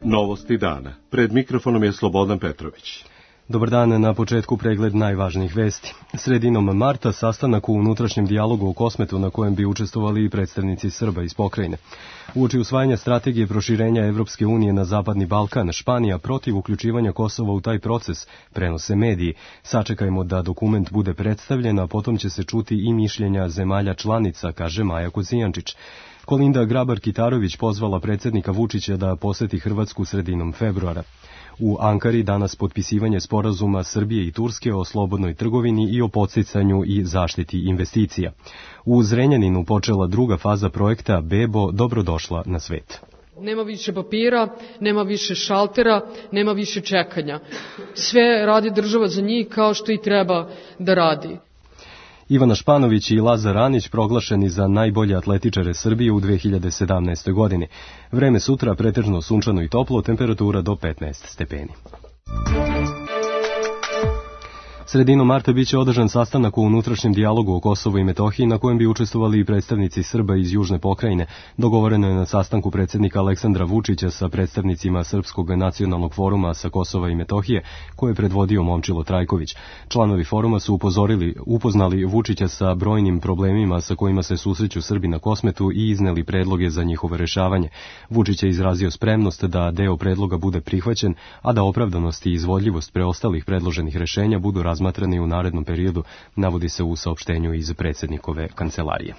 Novosti dana. Pred mikrofonom je Slobodan Petrović. Dobar dan, na početku pregled najvažnijih vesti. Sredinom marta sastanak u unutrašnjem dijalogu u Kosmetu na kojem bi učestvovali i predstavnici Srba iz pokrajine. Uoči usvajanja strategije proširenja Evropske unije na Zapadni Balkan, Španija protiv uključivanja Kosova u taj proces, prenose mediji. Sačekajmo da dokument bude predstavljen, a potom će se čuti i mišljenja zemalja članica, kaže Maja Kocijančić. Kolinda Grabar-Kitarović pozvala predsjednika Vučića da poseti Hrvatsku sredinom februara. U Ankari danas potpisivanje sporazuma Srbije i Turske o slobodnoj trgovini i o podsticanju i zaštiti investicija. U Zrenjaninu počela druga faza projekta Bebo, dobrodošla na svet. Nema više papira, nema više šaltera, nema više čekanja. Sve radi država za njih kao što i treba da radi. Ivana Španović i Lazar Anić proglašeni za najbolje atletičare Srbije u 2017. godini. Vreme sutra pretežno sunčano i toplo, temperatura do 15 stepeni. Sredinom marta biće održan sastanak u unutrašnjem dijalogu o Kosovu i Metohiji na kojem bi učestvovali i predstavnici Srba iz Južne pokrajine. Dogovoreno je na sastanku predsjednika Aleksandra Vučića sa predstavnicima Srpskog nacionalnog foruma sa Kosova i Metohije, koje je predvodio Momčilo Trajković. Članovi foruma su upoznali Vučića sa brojnim problemima sa kojima se susreću Srbi na Kosmetu i izneli predloge za njihovo rešavanje. Vučić je izrazio spremnost da deo predloga bude prihvaćen, a da opravdanost i izvodljivost preostalih predloženih rešenja budu razmatrani u narednom periodu, navodi se u saopštenju iz predsjednikove kancelarije.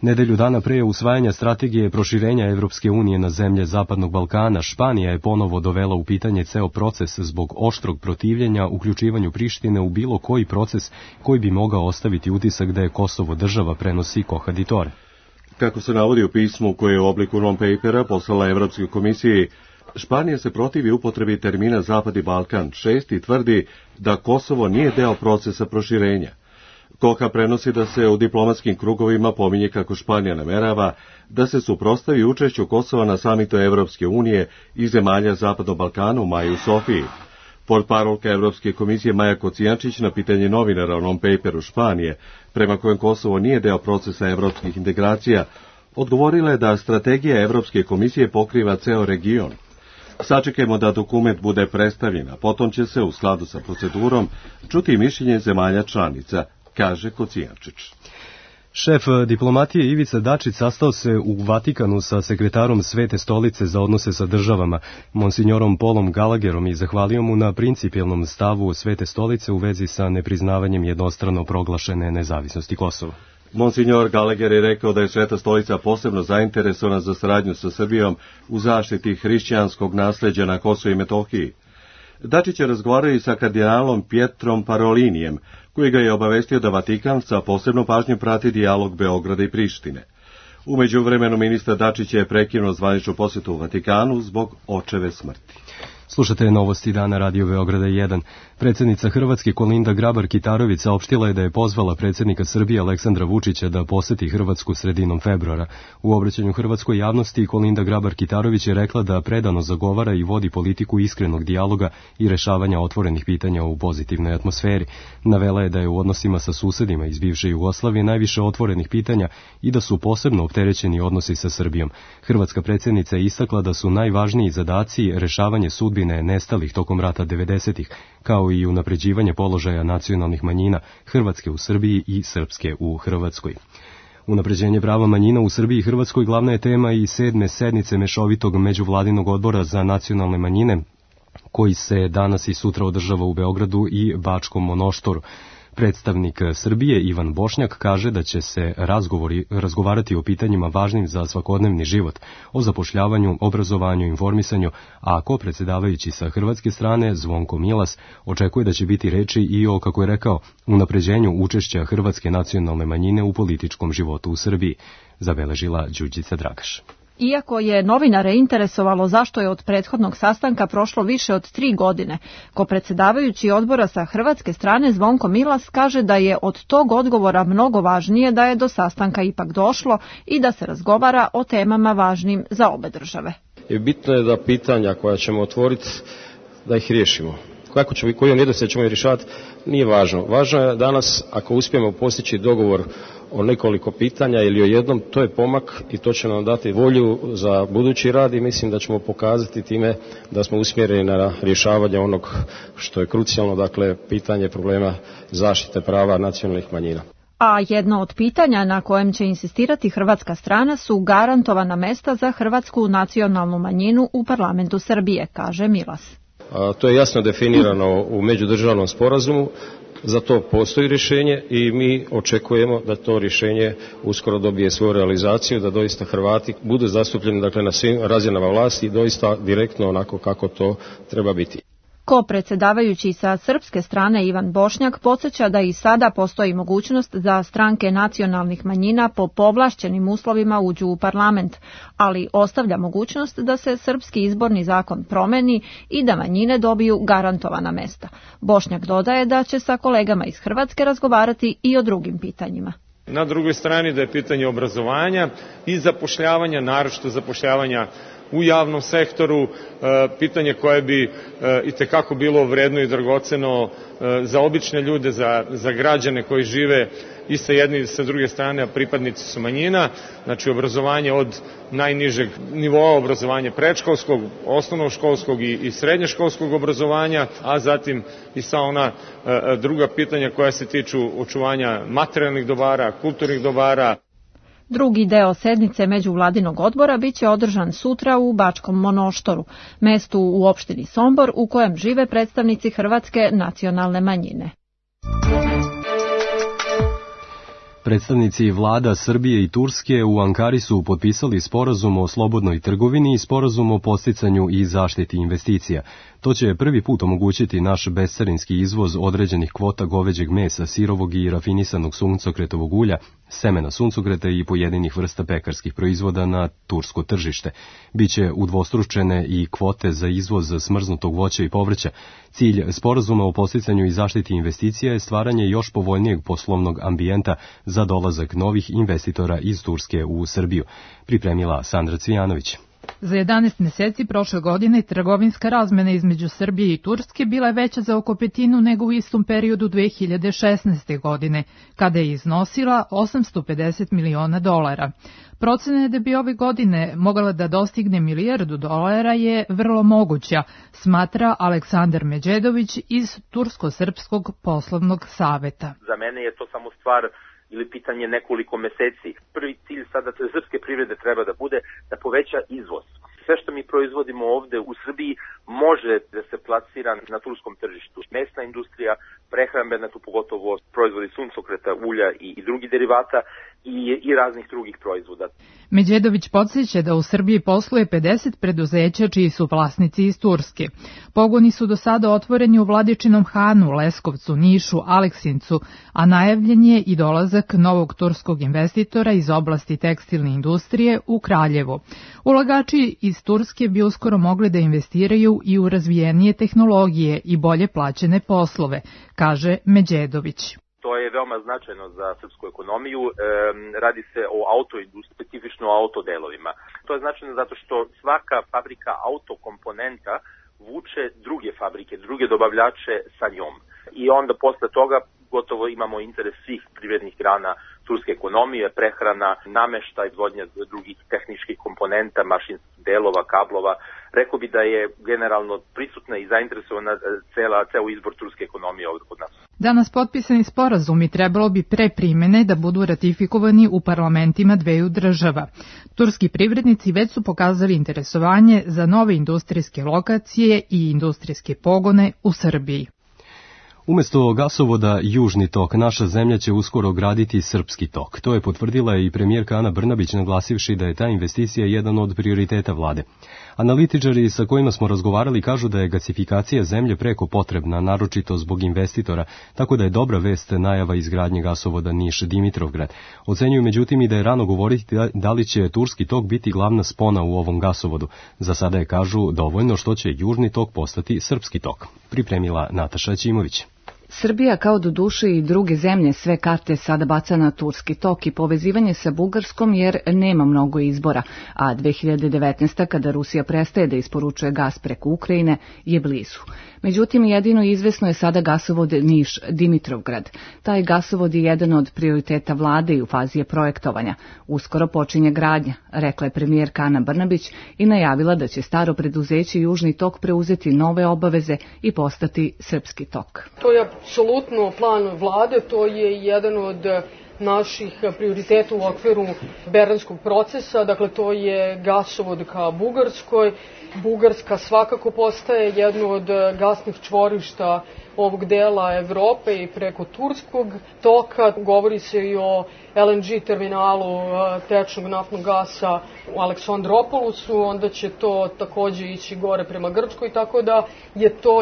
Nedelju dana pre usvajanja strategije proširenja Evropske unije na zemlje Zapadnog Balkana, Španija je ponovo dovela u pitanje ceo proces zbog oštrog protivljenja uključivanju Prištine u bilo koji proces koji bi mogao ostaviti utisak da je Kosovo država, prenosi Kohaditore. Kako se navodi u pismu koje je u obliku non-papera poslala Evropskoj komisiji, Španija se protivi upotrebi termina Zapadni Balkan 6 i tvrdi da Kosovo nije deo procesa proširenja. Koha prenosi da se u diplomatskim krugovima pominje kako Španija namerava da se suprotstavi učešću Kosova na samitu Evropske unije i zemalja Zapadnog Balkana u maju u Sofiji. Portparolka Evropske komisije Maja Kocijančić na pitanje novinara o non-paperu Španije, prema kojem Kosovo nije deo procesa evropskih integracija, odgovorila je da strategija Evropske komisije pokriva ceo region. Sačekajmo da dokument bude predstavljen, a potom će se u skladu sa procedurom čuti mišljenje zemalja članica, kaže Kocijančić. Šef diplomatije Ivica Dačić sastao se u Vatikanu sa sekretarom Svete stolice za odnose sa državama, monsignorom Paulom Gallagherom, i zahvalio mu na principijelnom stavu Svete stolice u vezi sa nepriznavanjem jednostrano proglašene nezavisnosti Kosova. Monsignor Gallagher je rekao da je Sveta stolica posebno zainteresovana za saradnju sa Srbijom u zaštiti hrišćanskog nasleđa na Kosovu i Metohiji. Dačić je razgovarao i sa kardinalom Pietrom Parolinijem, koji ga je obavestio da Vatikan sa posebnom pažnjom prati dijalog Beograda i Prištine. U međuvremenu ministar Dačić je prekinuo zvaničnu posjetu u Vatikanu zbog očeve smrti. Slušate novosti dana Radio Beograda 1. Predsjednica Hrvatske Kolinda Grabar-Kitarović saopštila je da je pozvala predsjednika Srbije Aleksandra Vučića da poseti Hrvatsku sredinom februara. U obraćanju hrvatskoj javnosti Kolinda Grabar-Kitarović je rekla da predano zagovara i vodi politiku iskrenog dijaloga i rešavanja otvorenih pitanja u pozitivnoj atmosferi. Navela je da je u odnosima sa susedima iz bivše Jugoslavije najviše otvorenih pitanja i da su posebno opterećeni odnosi sa Srbijom. Hrvatska predsjednica je istakla da su najvažniji zadaci rešavanje sudbine nestalih tokom rata 90-ih, kao i unapređivanje položaja nacionalnih manjina Hrvatske u Srbiji i Srpske u Hrvatskoj. Unapređenje prava manjina u Srbiji i Hrvatskoj glavna je tema i 7. sednice Mešovitog međuvladinog odbora za nacionalne manjine, koji se danas i sutra održava u Beogradu i Bačkom Monoštoru. Predstavnik Srbije Ivan Bošnjak kaže da će se razgovarati o pitanjima važnim za svakodnevni život, o zapošljavanju, obrazovanju i informisanju, a predsjedavajući sa hrvatske strane Zvonko Milas očekuje da će biti reči i o, kako je rekao, unapređenju učešća hrvatske nacionalne manjine u političkom životu u Srbiji, zabeležila Đurđica Dragaš. Iako je novinare interesovalo zašto je od prethodnog sastanka prošlo više od 3 godine, predsjedavajući odbora sa hrvatske strane Zvonko Milas kaže da je od tog odgovora mnogo važnije da je do sastanka ipak došlo i da se razgovara o temama važnim za obe države. Bitno je da pitanja koja ćemo otvoriti, da ih riješimo. koju nedostaje ćemo rješavati, nije važno. Važno je danas, ako uspijemo postići dogovor o nekoliko pitanja ili o jednom, to je pomak i to će nam dati volju za budući rad i mislim da ćemo pokazati time da smo usmjereni na rješavanje onog što je krucijalno, dakle pitanje problema zaštite prava nacionalnih manjina. A jedno od pitanja na kojem će insistirati hrvatska strana su garantovana mesta za hrvatsku nacionalnu manjinu u parlamentu Srbije, kaže Milas. To je jasno definirano u međudržavnom sporazumu, za to postoji rješenje i mi očekujemo da to rješenje uskoro dobije svoju realizaciju, da doista Hrvati budu zastupljeni, dakle, na svim razinama vlasti i doista direktno onako kako to treba biti. Ko-predsjedavajući sa srpske strane Ivan Bošnjak podsjeća da i sada postoji mogućnost da stranke nacionalnih manjina po povlašćenim uslovima uđu u parlament, ali ostavlja mogućnost da se srpski izborni zakon promeni i da manjine dobiju garantovana mesta. Bošnjak dodaje da će sa kolegama iz Hrvatske razgovarati i o drugim pitanjima. Na drugoj strani da je pitanje obrazovanja i zapošljavanja, naročito zapošljavanja u javnom sektoru, pitanje koje bi itekako bilo vredno i dragoceno za obične ljude, za građane koji žive i sa jedne i sa druge strane, a pripadnici su manjina, znači obrazovanje od najnižeg nivoa obrazovanja predškolskog, osnovnoškolskog i srednjoškolskog obrazovanja, a zatim i sva ona druga pitanja koja se tiču očuvanja materijalnih dobara, kulturnih dobara. Drugi deo sednice međuvladinog odbora biće održan sutra u Bačkom Monoštoru, mestu u opštini Sombor u kojem žive predstavnici hrvatske nacionalne manjine. Predstavnici vlada Srbije i Turske u Ankari su potpisali sporazum o slobodnoj trgovini i sporazum o podsticanju i zaštiti investicija. To će prvi put omogućiti naš bescarinski izvoz određenih kvota goveđeg mesa, sirovog i rafinisanog suncokretovog ulja, semena suncokreta i pojedinih vrsta pekarskih proizvoda na tursko tržište. Biće udvostručene i kvote za izvoz smrznutog voća i povrća. Cilj sporazuma o podsticanju i zaštiti investicija je stvaranje još povoljnijeg poslovnog ambijenta za dolazak novih investitora iz Turske u Srbiju, pripremila Sandra Cvijanović. Za 11 mjeseci prošle godine trgovinska razmena između Srbije i Turske bila je veća za oko petinu nego u istom periodu 2016. godine, kada je iznosila $850 miliona. Procena je da bi ove godine mogla da dostigne $1 milijardu je vrlo moguća, smatra Aleksandar Međedović iz Tursko-srpskog poslovnog saveta. Za mene je to samo stvar ili pitanje nekoliko meseci. Prvi cilj sada srpske privrede treba da bude da poveća izvoz. Sve što mi proizvodimo ovde u Srbiji može da se plasira na turskom tržištu. Mesna industrija, prehrambena, tu pogotovo proizvodi suncokreta, ulja i drugih derivata i raznih drugih proizvoda. Međedović podsjeća da u Srbiji posluje 50 preduzeća čiji su vlasnici iz Turske. Pogoni su do sada otvoreni u Vladičinom Hanu, Leskovcu, Nišu, Aleksincu, a najavljen je i dolazak novog turskog investitora iz oblasti tekstilne industrije u Kraljevo. Ulagači iz Turske bi uskoro mogli da investiraju i u razvijenije tehnologije i bolje plaćene poslove, kaže Međedović. To je veoma značajno za srpsku ekonomiju. Radi se o autoindustriji, specifično o autodelovima. To je značajno zato što svaka fabrika autokomponenta vuče druge fabrike, druge dobavljače sa njom. I onda posle toga gotovo imamo interes svih privrednih grana turske ekonomije, prehrana, nameštaj, izvodnja drugih tehničkih komponenta, mašinskih delova, kablova. Rekao bi da je generalno prisutna i zainteresovana ceo izbor turske ekonomije ovdje kod nas. Danas potpisani sporazumi trebalo bi pre primene da budu ratifikovani u parlamentima dveju država. Turski privrednici već su pokazali interesovanje za nove industrijske lokacije i industrijske pogone u Srbiji. Umesto gasovoda Južni tok, naša zemlja će uskoro graditi Srpski tok. To je potvrdila i premijerka Ana Brnabić, naglasivši da je ta investicija jedan od prioriteta vlade. Analitičari sa kojima smo razgovarali kažu da je gasifikacija zemlje preko potrebna, naročito zbog investitora, tako da je dobra vest najava izgradnje gasovoda Niš-Dimitrovgrad. Ocenjuju međutim i da je rano govoriti da li će Turski tok biti glavna spona u ovom gasovodu. Za sada je, kažu, dovoljno što će Južni tok postati Srpski tok, pripremila Nataša Ćimović. Srbija, kao do duše i druge zemlje, sve karte sada baca na Turski tok i povezivanje sa Bugarskom jer nema mnogo izbora, a 2019. kada Rusija prestaje da isporučuje gas preko Ukrajine je blizu. Međutim, jedino izvesno je sada gasovod Niš-Dimitrovgrad. Taj gasovod je jedan od prioriteta vlade i u fazi je projektovanja. Uskoro počinje gradnja, rekla je premijerka Ana Brnabić i najavila da će staro preduzeće Južni tok preuzeti nove obaveze i postati Srpski tok. To je apsolutno plan vlade, to je jedan od naših prioriteta u okviru Berlinskog procesa, dakle to je gasovod ka Bugarskoj. Bugarska svakako postaje jedno od gasnih čvorišta ovog dela Evrope i preko Turskog toka. Govori se i o LNG terminalu tečnog naftnog gasa u Aleksandropolusu, onda će to takođe ići gore prema Grčkoj, tako da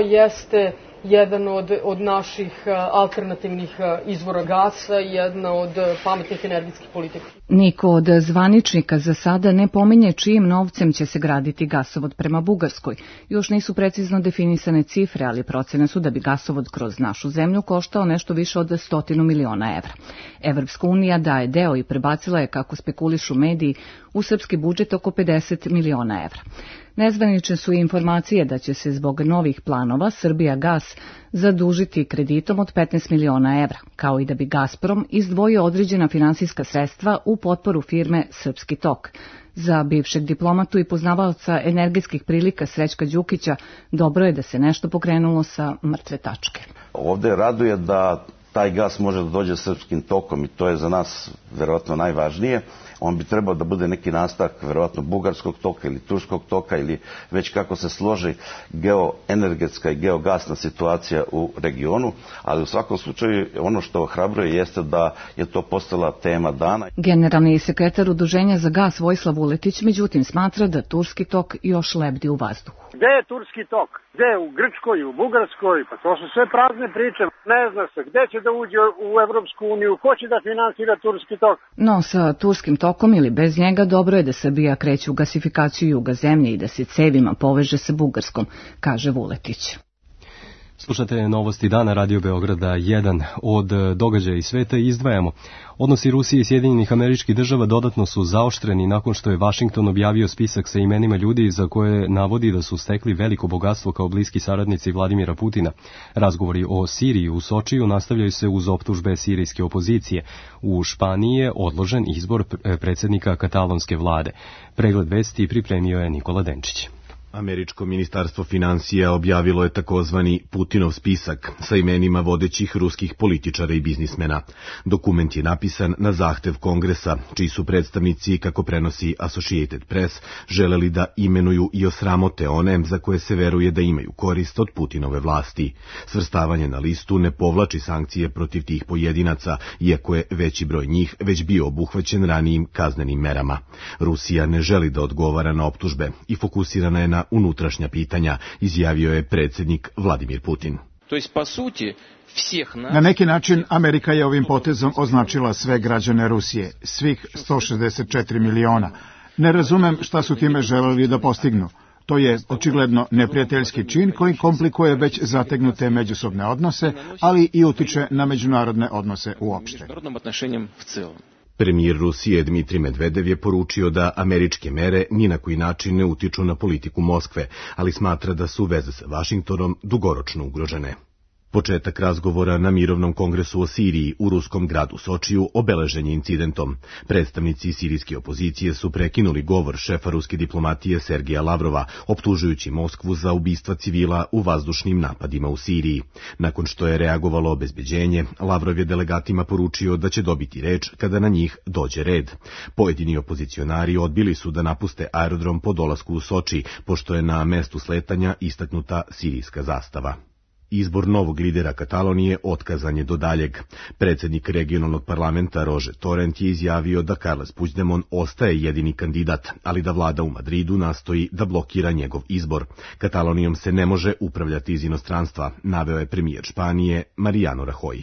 jeste jedan od naših alternativnih izvora gasa, jedna od pametnih energetskih politika. Niko od zvaničnika za sada ne pominje čijim novcem će se graditi gasovod prema Bugarskoj. Još nisu precizno definisane cifre, ali procene su da bi gasovod kroz našu zemlju koštao nešto više od 100 miliona evra. Evropska unija daje deo i prebacila je, kako spekulišu mediji, u srpski budžet oko 50 miliona evra. Nezvanične su informacije da će se zbog novih planova Srbijagas zadužiti kreditom od 15 miliona evra, kao i da bi Gazprom izdvojio određena finansijska sredstva u potporu firme Srpski tok. Za bivšeg diplomatu i poznavaoca energetskih prilika Srećka Đukića dobro je da se nešto pokrenulo sa mrtve tačke. Ovde raduje da taj gas može da dođe srpskim tokom i to je za nas verovatno najvažnije. On bi trebao da bude neki nastavak verovatno bugarskog toka ili turskog toka ili već kako se složi geoenergetska i geogasna situacija u regionu, ali u svakom slučaju ono što ohrabruje jeste da je to postala tema dana. Generalni sekretar Udruženja za gas Vojislav Vuletić međutim smatra da Turski tok još lebdi u vazduhu. Gde je Turski tok? Gde? U Grčkoj, u Bugarskoj? Pa to su sve prazne priče. Ne zna se gde će da uđe u Evropsku uniju, ko će da finansira Turski tok. No, sa Turskim tokom ili bez njega dobro je da Srbija kreće u gasifikaciju juga zemlje i da se cevima poveže sa Bugarskom, kaže Vuletić. Slušate novosti dana Radio Beograda 1. Od događaja iz sveta izdvajamo. Odnosi Rusije i Sjedinjenih Američkih Država dodatno su zaoštreni nakon što je Vašington objavio spisak sa imenima ljudi za koje navodi da su stekli veliko bogatstvo kao bliski saradnici Vladimira Putina. Razgovori o Siriji u Sočiju nastavljaju se uz optužbe sirijske opozicije. U Španiji je odložen izbor predsjednika katalonske vlade. Pregled vesti pripremio je Nikola Denčić. Američko ministarstvo financija objavilo je takozvani Putinov spisak sa imenima vodećih ruskih političara i biznismena. Dokument je napisan na zahtev Kongresa, čiji su predstavnici, kako prenosi Associated Press, želeli da imenuju i osramote one za koje se veruje da imaju korist od Putinove vlasti. Svrstavanje na listu ne povlači sankcije protiv tih pojedinaca, iako je veći broj njih već bio obuhvaćen ranijim kaznenim merama. Rusija ne želi da odgovara na optužbe i fokusirana je na unutrašnja pitanja, izjavio je predsjednik Vladimir Putin. Na neki način Amerika je ovim potezom označila sve građane Rusije, svih 164 miliona. Ne razumem šta su time želeli da postignu. To je očigledno neprijateljski čin koji komplikuje već zategnute međusobne odnose, ali i utiče na međunarodne odnose uopšte. Premijer Rusije Dmitrij Medvedev je poručio da američke mere ni na koji način ne utiču na politiku Moskve, ali smatra da su veze sa Vašingtonom dugoročno ugrožene. Početak razgovora na mirovnom kongresu o Siriji u ruskom gradu Sočiju obeležen je incidentom. Predstavnici sirijske opozicije su prekinuli govor šefa ruske diplomatije Sergeja Lavrova, optužujući Moskvu za ubistva civila u vazdušnim napadima u Siriji. Nakon što je reagovalo obezbeđenje, Lavrov je delegatima poručio da će dobiti reč kada na njih dođe red. Pojedini opozicionari odbili su da napuste aerodrom po dolasku u Soči, pošto je na mestu sletanja istaknuta sirijska zastava. Izbor novog lidera Katalonije otkazan je do daljeg. Predsjednik regionalnog parlamenta Roger Torrent je izjavio da Carles Puigdemont ostaje jedini kandidat, ali da vlada u Madridu nastoji da blokira njegov izbor. Katalonijom se ne može upravljati iz inostranstva, naveo je premijer Španije Mariano Rajoy.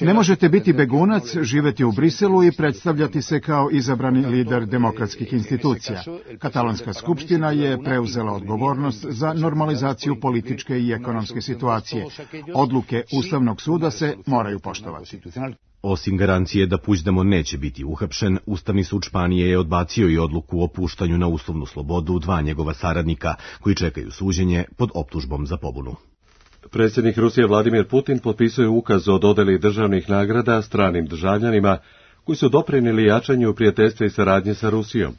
Ne možete biti begunac, živeti u Briselu i predstavljati se kao izabrani lider demokratskih institucija. Katalonska skupština je preuzela odgovornost za normalizaciju političke i ekonomske situacije. Odluke Ustavnog suda se moraju poštovati. Osim garancije da Puigdemont neće biti uhapšen, Ustavni sud Španije je odbacio i odluku o puštanju na uslovnu slobodu dva njegova saradnika koji čekaju suđenje pod optužbom za pobunu. Predsjednik Rusije Vladimir Putin potpisuje ukaz o dodeli državnih nagrada stranim državljanima koji su doprinijeli jačanju prijateljstva i saradnje sa Rusijom.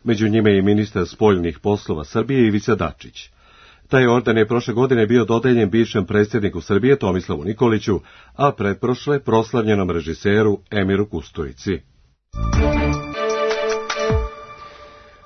Među njime je i ministar spoljnih poslova Srbije Ivica Dačić. Taj orden je prošle godine bio dodeljen bivšem predsjedniku Srbije Tomislavu Nikoliću, a pretprošle proslavljenom režiseru Emiru Kusturici.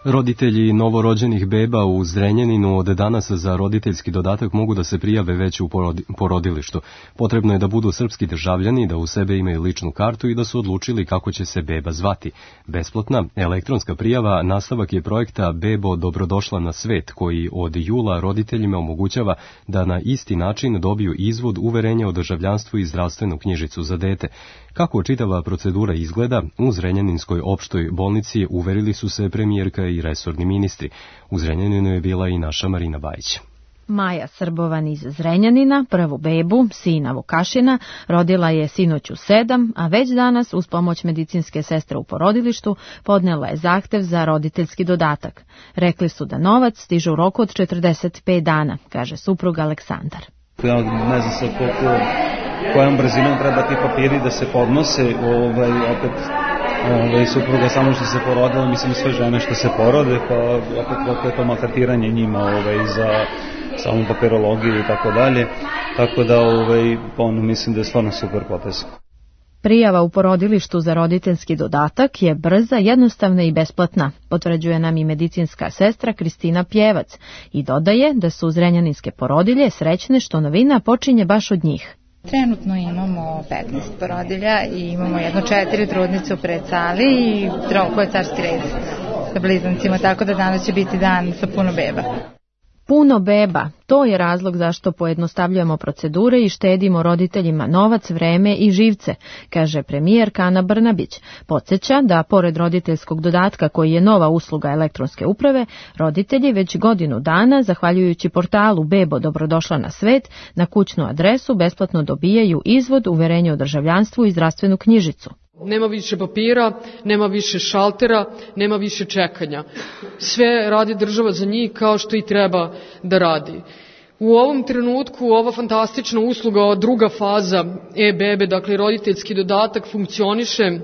Roditelji novorođenih beba u Zrenjaninu od danas za roditeljski dodatak mogu da se prijave već u porodilištu. Potrebno je da budu srpski državljani, da u sebe imaju ličnu kartu i da su odlučili kako će se beba zvati. Besplatna elektronska prijava nastavak je projekta Bebo dobrodošla na svet, koji od jula roditeljima omogućava da na isti način dobiju izvod uverenja o državljanstvu i zdravstvenu knjižicu za dete. Kako čitava procedura izgleda, u Zrenjaninskoj opštoj bolnici uverili su se premijerka i resorni ministri. U Zrenjaninu je bila i naša Marina Bajić. Maja Srbovan iz Zrenjanina, prvu bebu, sina Vukašina, rodila je sinoć u 7, a već danas, uz pomoć medicinske sestre u porodilištu, podnela je zahtev za roditeljski dodatak. Rekli su da novac stiže u roku od 45 dana, kaže suprug Aleksandar. Ja ne znam sad kojom brzinom treba ti papiri da se podnose, opet supruga samo što se porodila, mislim sve žene što se porode, pa opet koliko je to maltretiranje njima za samu papirologiju i tako dalje, tako da mislim da je stvarno super potez. Prijava u porodilištu za roditeljski dodatak je brza, jednostavna i besplatna, potvrđuje nam i medicinska sestra Kristina Pjevac i dodaje da su zrenjaninske porodilje srećne što novina počinje baš od njih. Trenutno imamo 15 porodilja i imamo 4 trudnice u predsali i troje carski red sa blizancima, tako da danas će biti dan sa puno beba. Puno beba, to je razlog zašto pojednostavljujemo procedure i štedimo roditeljima novac, vreme i živce, kaže premijerka Ana Brnabić. Podsjeća da, pored roditeljskog dodatka koji je nova usluga elektronske uprave, roditelji već godinu dana, zahvaljujući portalu Bebo dobrodošla na svet, na kućnu adresu besplatno dobijaju izvod, uverenje o državljanstvu i zdravstvenu knjižicu. Nema više papira, nema više šaltera, nema više čekanja. Sve radi država za njih kao što i treba da radi. U ovom trenutku ova fantastična usluga, druga faza e-bebe, dakle roditeljski dodatak, funkcioniše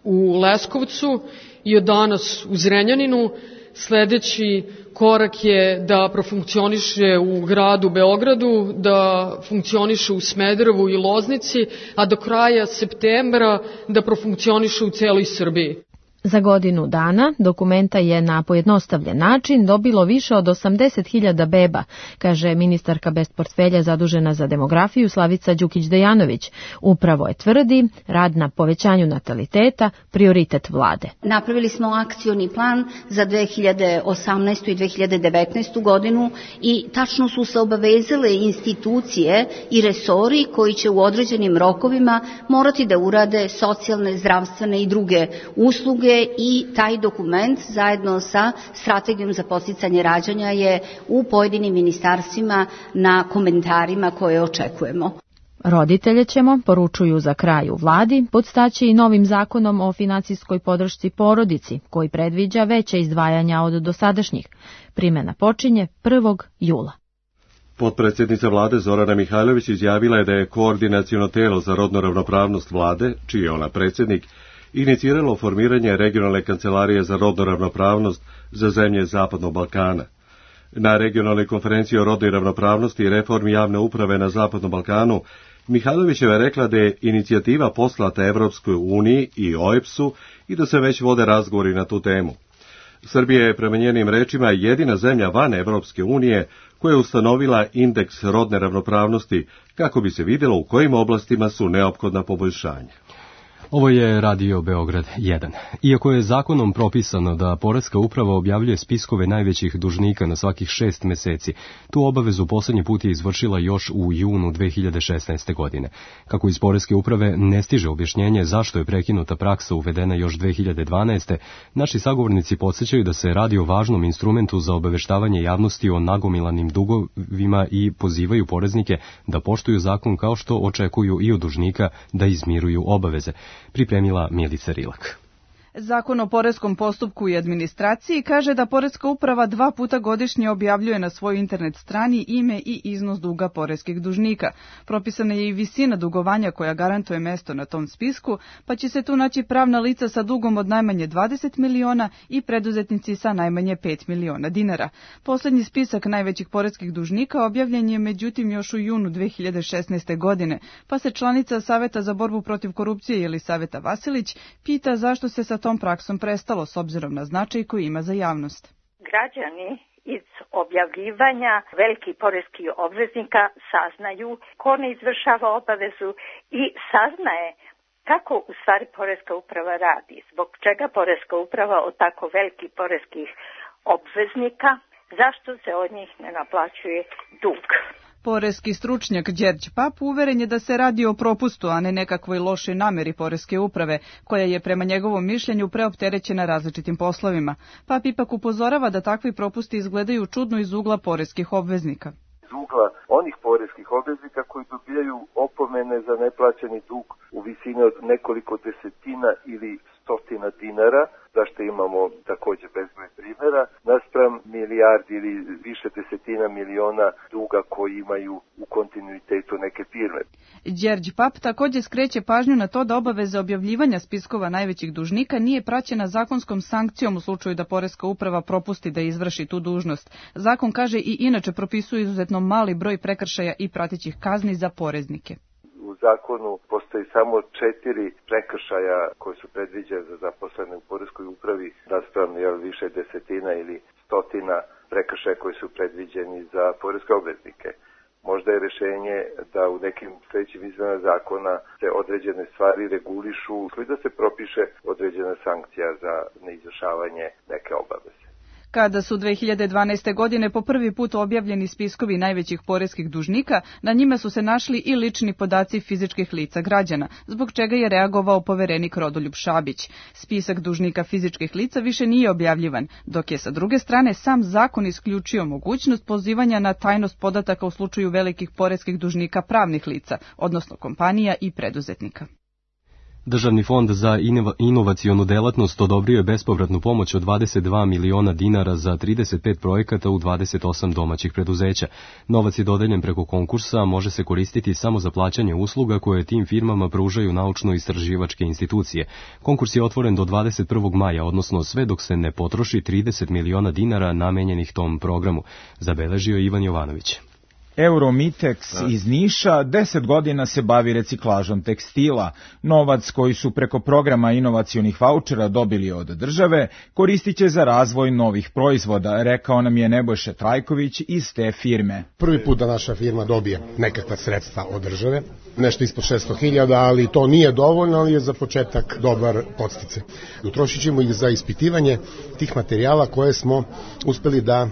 u Leskovcu i od danas u Zrenjaninu. Sledeći korak je da profunkcioniše u gradu Beogradu, da funkcioniše u Smederevu i Loznici, a do kraja septembra da profunkcioniše u celoj Srbiji. Za godinu dana dokumenta je na pojednostavljen način dobilo više od 80.000 beba, kaže ministarka bez portfelja zadužena za demografiju Slavica Đukić-Dejanović. Upravo je tvrdi rad na povećanju nataliteta prioritet vlade. Napravili smo akcioni plan za 2018. i 2019. godinu i tačno su se obavezale institucije i resori koji će u određenim rokovima morati da urade socijalne, zdravstvene i druge usluge. I taj dokument zajedno sa strategijom za podsticanje rađanja je u pojedinim ministarstvima na komentarima koje očekujemo. Roditelje ćemo, poručuju za kraj u vladi, podstaći i novim zakonom o finansijskoj podršci porodici, koji predviđa veće izdvajanja od dosadašnjih. Primjena počinje 1. jula. Potpredsjednica vlade Zorana Mihajlović izjavila je da je koordinaciono telo za rodnu ravnopravnost vlade, čiji je ona predsjednik, iniciralo formiranje regionalne kancelarije za rodnu ravnopravnost za zemlje Zapadnog Balkana. Na regionalnoj konferenciji o rodnoj ravnopravnosti i reformi javne uprave na Zapadnom Balkanu, Mihajlovićeva je rekla da je inicijativa poslata Evropskoj uniji i OEBS-u i da se već vode razgovori na tu temu. Srbija je prema njenim rečima jedina zemlja van Evropske unije koja je ustanovila indeks rodne ravnopravnosti kako bi se vidjelo u kojim oblastima su neophodna poboljšanja. Ovo je Radio Beograd 1. Iako je zakonom propisano da Poreska uprava objavljuje spiskove najvećih dužnika na svakih 6 meseci, tu obavezu poslednji put je izvršila još u junu 2016. godine. Kako iz Poreske uprave ne stiže objašnjenje zašto je prekinuta praksa uvedena još 2012. naši sagovornici podsjećaju da se radi o važnom instrumentu za obaveštavanje javnosti o nagomilanim dugovima i pozivaju poreznike da poštuju zakon kao što očekuju i od dužnika da izmiruju obaveze. Pripremila Milica Rilak. Zakon o poreskom postupku i administraciji kaže da Poreska uprava 2 puta godišnje objavljuje na svojoj internet strani ime i iznos duga poreskih dužnika. Propisana je i visina dugovanja koja garantuje mesto na tom spisku, pa će se tu naći pravna lica sa dugom od najmanje 20 miliona i preduzetnici sa najmanje 5 miliona dinara. Poslednji spisak najvećih poreskih dužnika objavljen je međutim još u junu 2016. godine, pa se članica Saveta za borbu protiv korupcije Jelisaveta Vasilić pita zašto se sa tom praksom prestalo s obzirom na značaj koji ima za javnost. Građani iz objavljivanja velikih poreskih obveznika saznaju ko ne izvršava obavezu i saznaje kako u stvari Poreska uprava radi, zbog čega Poreska uprava od tako velikih poreskih obveznika, zašto se od njih ne naplaćuje dug. Poreski stručnjak Đerđ Pap uveren je da se radi o propustu, a ne nekakvoj lošoj nameri Poreske uprave, koja je prema njegovom mišljenju preopterećena različitim poslovima. Pap ipak upozorava da takvi propusti izgledaju čudno iz ugla poreskih obveznika. Iz ugla onih poreskih obveznika koji dobijaju opomene za neplaćeni dug u visini od nekoliko desetina ili stotina dinara, zašto imamo također bezbroj primjera, naspram milijardi ili više desetina miliona duga koji imaju u kontinuitetu neke firme. Đerđ Pap također skreće pažnju na to da obaveza objavljivanja spiskova najvećih dužnika nije praćena zakonskom sankcijom u slučaju da Poreska uprava propusti da izvrši tu dužnost. Zakon kaže i inače propisuje izuzetno mali broj prekršaja i pratećih kazni za poreznike. U zakonu postoji samo 4 prekršaja koji su predviđene za zaposlene u Poreskoj upravi, naspram više desetina ili stotina prekršaja koji su predviđeni za poreske obveznike. Možda je rješenje da u nekim sljedećim izmenama zakona se određene stvari regulišu i da se propiše određena sankcija za neizvršavanje neke obaveze. Kada su 2012. godine po prvi put objavljeni spiskovi najvećih poreskih dužnika, na njima su se našli i lični podaci fizičkih lica građana, zbog čega je reagovao poverenik Rodoljub Šabić. Spisak dužnika fizičkih lica više nije objavljivan, dok je sa druge strane sam zakon isključio mogućnost pozivanja na tajnost podataka u slučaju velikih poreskih dužnika pravnih lica, odnosno kompanija i preduzetnika. Državni fond za inovacionu delatnost odobrio je bespovratnu pomoć od 22 miliona dinara za 35 projekata u 28 domaćih preduzeća. Novac je dodeljen preko konkursa, može se koristiti samo za plaćanje usluga koje tim firmama pružaju naučno-istraživačke institucije. Konkurs je otvoren do 21. maja, odnosno sve dok se ne potroši 30 miliona dinara namenjenih tom programu, zabeležio Ivan Jovanović. Euromitex iz Niša 10 godina se bavi reciklažom tekstila. Novac koji su preko programa inovacionih vaučera dobili od države koristit će za razvoj novih proizvoda, rekao nam je Nebojša Trajković iz te firme. Prvi put da naša firma dobije nekakva sredstva od države, nešto ispod 600.000, ali to nije dovoljno, ali je za početak dobar podsticaj. Utrošit ćemo ih za ispitivanje tih materijala koje smo uspeli da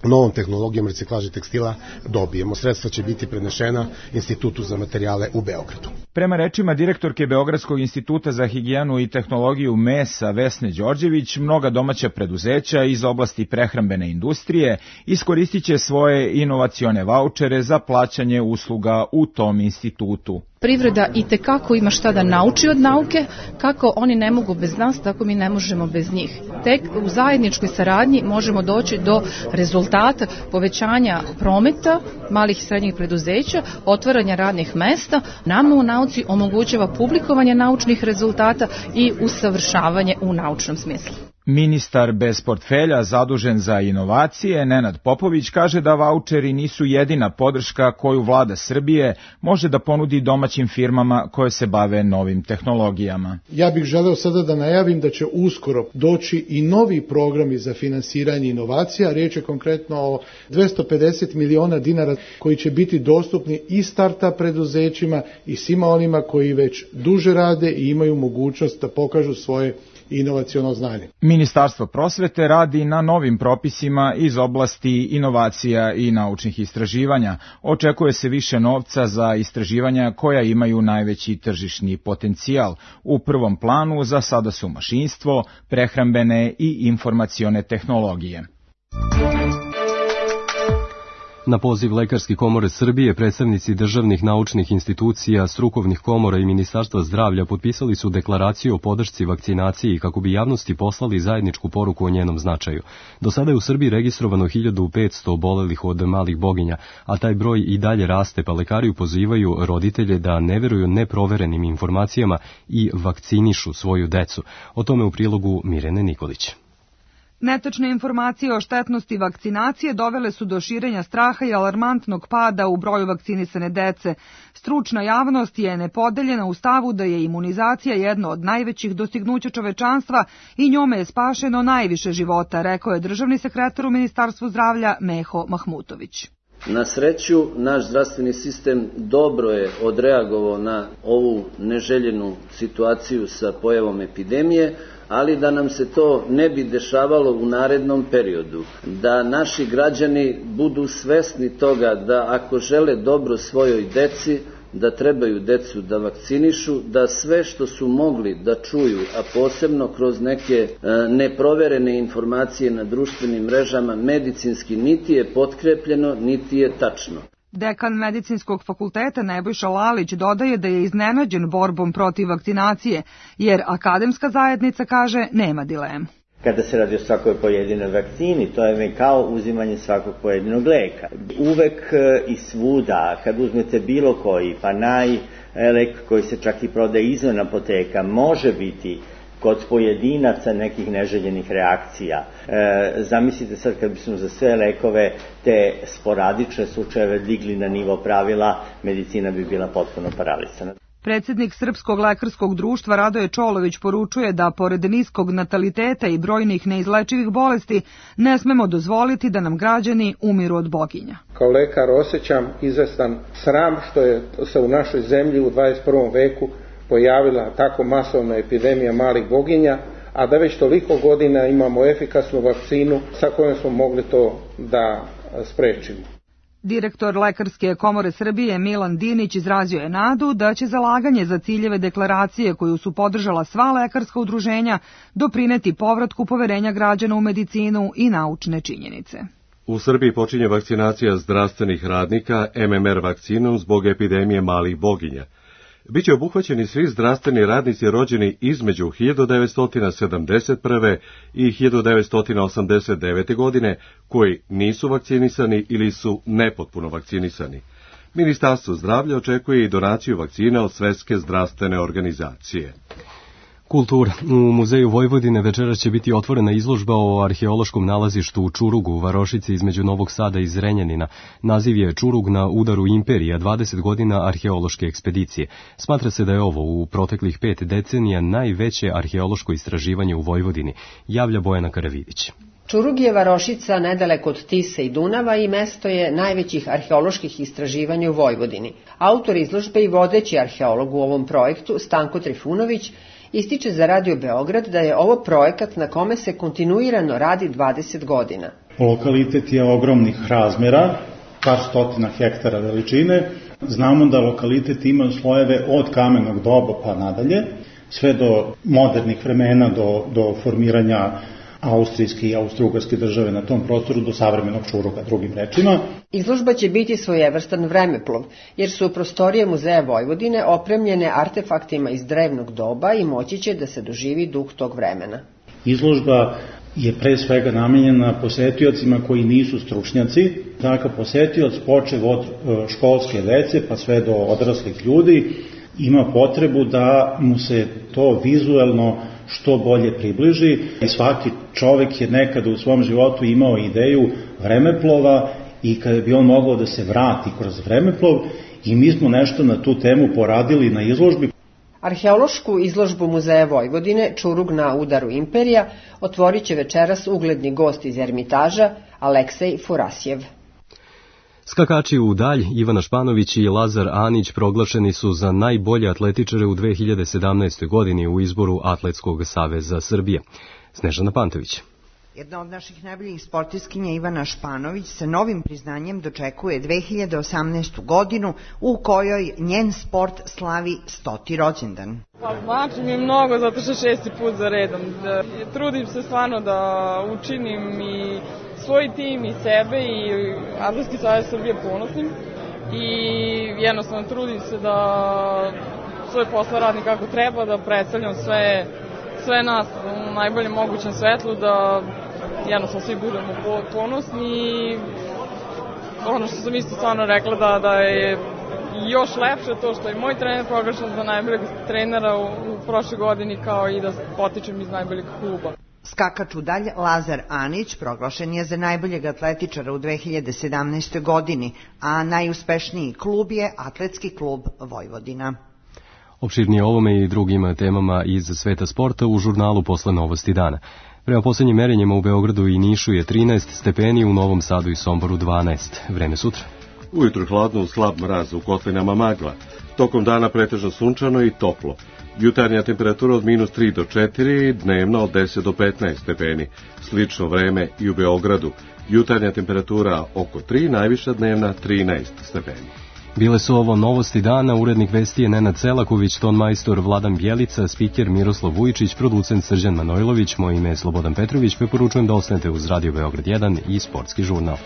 novom tehnologijom reciklaže tekstila dobijemo. Sredstva će biti prenešena Institutu za materijale u Beogradu. Prema rečima direktorke Beogradskog instituta za higijenu i tehnologiju mesa Vesne Đorđević, mnoga domaća preduzeća iz oblasti prehrambene industrije iskoristit će svoje inovacione vaučere za plaćanje usluga u tom institutu. Privreda itekako ima šta da nauči od nauke, kako oni ne mogu bez nas, tako mi ne možemo bez njih. Tek u zajedničkoj saradnji možemo doći do rezultata povećanja prometa malih i srednjih preduzeća, otvaranja radnih mesta. Nama u nauci omogućava publikovanje naučnih rezultata i usavršavanje u naučnom smislu. Ministar bez portfelja zadužen za inovacije, Nenad Popović, kaže da vaučeri nisu jedina podrška koju vlada Srbije može da ponudi domaćim firmama koje se bave novim tehnologijama. Ja bih želeo sada da najavim da će uskoro doći i novi programi za finansiranje inovacija. Riječ je konkretno o 250 miliona dinara koji će biti dostupni i startup preduzećima i svima onima koji već duže rade i imaju mogućnost da pokažu svoje inovaciono znanje. Ministarstvo prosvete radi na novim propisima iz oblasti inovacija i naučnih istraživanja. Očekuje se više novca za istraživanja koja imaju najveći tržišni potencijal. U prvom planu za sada su mašinstvo, prehrambene i informacione tehnologije. Na poziv Lekarske komore Srbije, predstavnici državnih naučnih institucija, strukovnih komora i Ministarstva zdravlja potpisali su deklaraciju o podršci vakcinaciji kako bi javnosti poslali zajedničku poruku o njenom značaju. Do sada je u Srbiji registrovano 1500 obolelih od malih boginja, a taj broj i dalje raste, pa lekari pozivaju roditelje da ne veruju neproverenim informacijama i vakcinišu svoju decu. O tome u prilogu Mirjane Nikolić. Netačne informacije o štetnosti vakcinacije dovele su do širenja straha i alarmantnog pada u broju vakcinisane dece. Stručna javnost je nepodeljena u stavu da je imunizacija jedno od najvećih dostignuća čovečanstva i njome je spašeno najviše života, rekao je državni sekretar u Ministarstvu zdravlja Meho Mahmutović. Na sreću, naš zdravstveni sistem dobro je odreagovao na ovu neželjenu situaciju sa pojavom epidemije, ali da nam se to ne bi dešavalo u narednom periodu, da naši građani budu svesni toga da ako žele dobro svojoj deci, da trebaju decu da vakcinišu, da sve što su mogli da čuju, a posebno kroz neke neproverene informacije na društvenim mrežama, medicinski niti je potkrepljeno, niti je tačno. Dekan Medicinskog fakulteta Nebojša Lalić dodaje da je iznenađen borbom protiv vakcinacije, jer akademska zajednica kaže nema dilemu. Kada se radi o svakoj pojedinoj vakcini, to je kao uzimanje svakog pojedinog leka. Uvek i svuda, kad uzmete bilo koji, pa lek koji se čak i prodaje izvan apoteka, može biti kod pojedinaca nekih neželjenih reakcija. Zamislite sad kad bismo za sve lekove te sporadične slučajeve digli na nivo pravila, medicina bi bila potpuno paralisana. Predsjednik Srpskog lekarskog društva Radoje Čolović poručuje da pored niskog nataliteta i brojnih neizlečivih bolesti ne smemo dozvoliti da nam građani umiru od boginja. Kao lekar osjećam izvestan sram što je se u našoj zemlji u 21. veku pojavila tako masovna epidemija malih boginja, a da već toliko godina imamo efikasnu vakcinu sa kojom smo mogli to da sprečimo. Direktor Lekarske komore Srbije Milan Dinić izrazio je nadu da će zalaganje za ciljeve deklaracije koju su podržala sva lekarska udruženja doprineti povratku poverenja građana u medicinu i naučne činjenice. U Srbiji počinje vakcinacija zdravstvenih radnika MMR vakcinom zbog epidemije malih boginja. Biće obuhvaćeni svi zdravstveni radnici rođeni između 1971. i 1989. godine koji nisu vakcinisani ili su nepotpuno vakcinisani. Ministarstvo zdravlja očekuje i donaciju vakcina od Svetske zdravstvene organizacije. Kultura. U Muzeju Vojvodine večeras će biti otvorena izložba o arheološkom nalazištu u Čurugu, u Varošici između Novog Sada i Zrenjanina. Naziv je Čurug na udaru imperija, 20 godina arheološke ekspedicije. Smatra se da je ovo u proteklih 5 decenija najveće arheološko istraživanje u Vojvodini, javlja Bojana Karavidić. Čurug je varošica nedaleko od Tise i Dunava i mesto je najvećih arheoloških istraživanja u Vojvodini. Autor izložbe i vodeći arheolog u ovom projektu, Stanko Trifunović, ističe za Radio Beograd da je ovo projekat na kome se kontinuirano radi 20 godina. Lokalitet je ogromnih razmera, par stotina hektara veličine. Znamo da lokalitet ima slojeve od kamenog doba pa nadalje, sve do modernih vremena, do formiranja austrijske i austrougarske države na tom prostoru do savremenog Čuruga, drugim rečima. Izložba će biti svojevrstan vremeplov, jer su prostorije Muzeja Vojvodine opremljene artefaktima iz drevnog doba i moći će da se doživi duh tog vremena. Izložba je pre svega namenjena posetiocima koji nisu stručnjaci. Takav posetioc počev od školske dece pa sve do odraslih ljudi ima potrebu da mu se to vizuelno što bolje približi i svaki čovek je nekada u svom životu imao ideju vremeplova i kada bi on mogao da se vrati kroz vremeplov i mi smo nešto na tu temu poradili na izložbi. Arheološku izložbu Muzeja Vojvodine Čurug na udaru imperija otvorit će večeras ugledni gost iz Ermitaža Aleksej Furasjev. Skakači u dalj Ivana Španović i Lazar Anić proglašeni su za najbolje atletičare u 2017. godini u izboru Atletskog saveza Srbije. Snežana Pantović. Jedna od naših najboljih sportistkinja Ivana Španović sa novim priznanjem dočekuje 2018. godinu u kojoj njen sport slavi 100. rođendan. Znači mi je mnogo zato što 6. put za redom. Trudim se stvarno da učinim i svoj tim i sebe i Atletski savez Srbije ponosnim i jednostavno trudim se da svoj posao radim kako treba, da predstavljam sve nas u najboljem mogućem svetlu, da jednostavno svi budemo ponosni i ono što sam isto stvarno rekla da je još lepše to što je moj trener proglašen za najboljeg trenera u prošle godini kao i da potičem iz najboljeg kluba. Skakač u dalj Lazar Anić proglašen je za najboljeg atletičara u 2017. godini, a najuspešniji klub je Atletski klub Vojvodina. Opširnije ovome i drugim temama iz sveta sporta u žurnalu posle Novosti dana. Prema poslednjim merenjima u Beogradu i Nišu je 13 stepeni, u Novom Sadu i Somboru 12. Vreme sutra. Ujutru hladno, slab mraz, u kotlinama magla. Tokom dana pretežno sunčano i toplo. Jutarnja temperatura od -3 do 4, dnevna od 10 do 15 stepeni. Slično vreme i u Beogradu. Jutarnja temperatura oko 3, najviša dnevna 13 stepeni. Bile su ovo Novosti dana, urednik vesti je Nenad Selaković, tonmajstor Vladan Bjelica, spiker Miroslav Vujičić, producent Srđan Manojlović, moje ime je Slobodan Petrović, preporučujem da ostanete uz Radio Beograd 1 i Sportski žurnal.